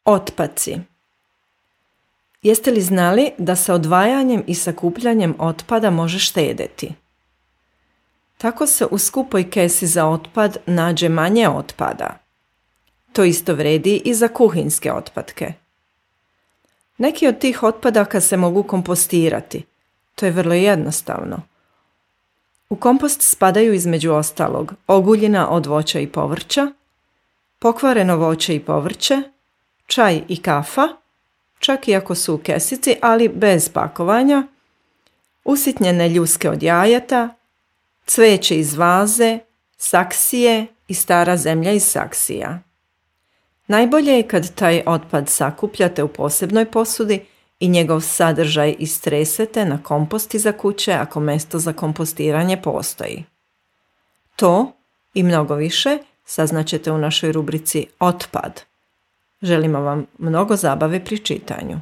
Otpaci. Jeste li znali da se odvajanjem i sakupljanjem otpada može štedjeti? Tako se u skupoj kesi za otpad nađe manje otpada. To isto vredi i za kuhinjske otpadke. Neki od tih otpadaka se mogu kompostirati. To je vrlo jednostavno. U kompost spadaju između ostalog oguljina od voća i povrća, pokvareno voće i povrće, čaj i kafa, čak i ako su u kesici, ali bez pakovanja, usitnjene ljuske od jajeta, cveće iz vaze, saksije i stara zemlja iz saksija. Najbolje je kad taj otpad sakupljate u posebnoj posudi i njegov sadržaj istresete na kompost iza kuće ako mjesto za kompostiranje postoji. To i mnogo više saznaćete u našoj rubrici Otpad. Želimo vam mnogo zabave pri čitanju.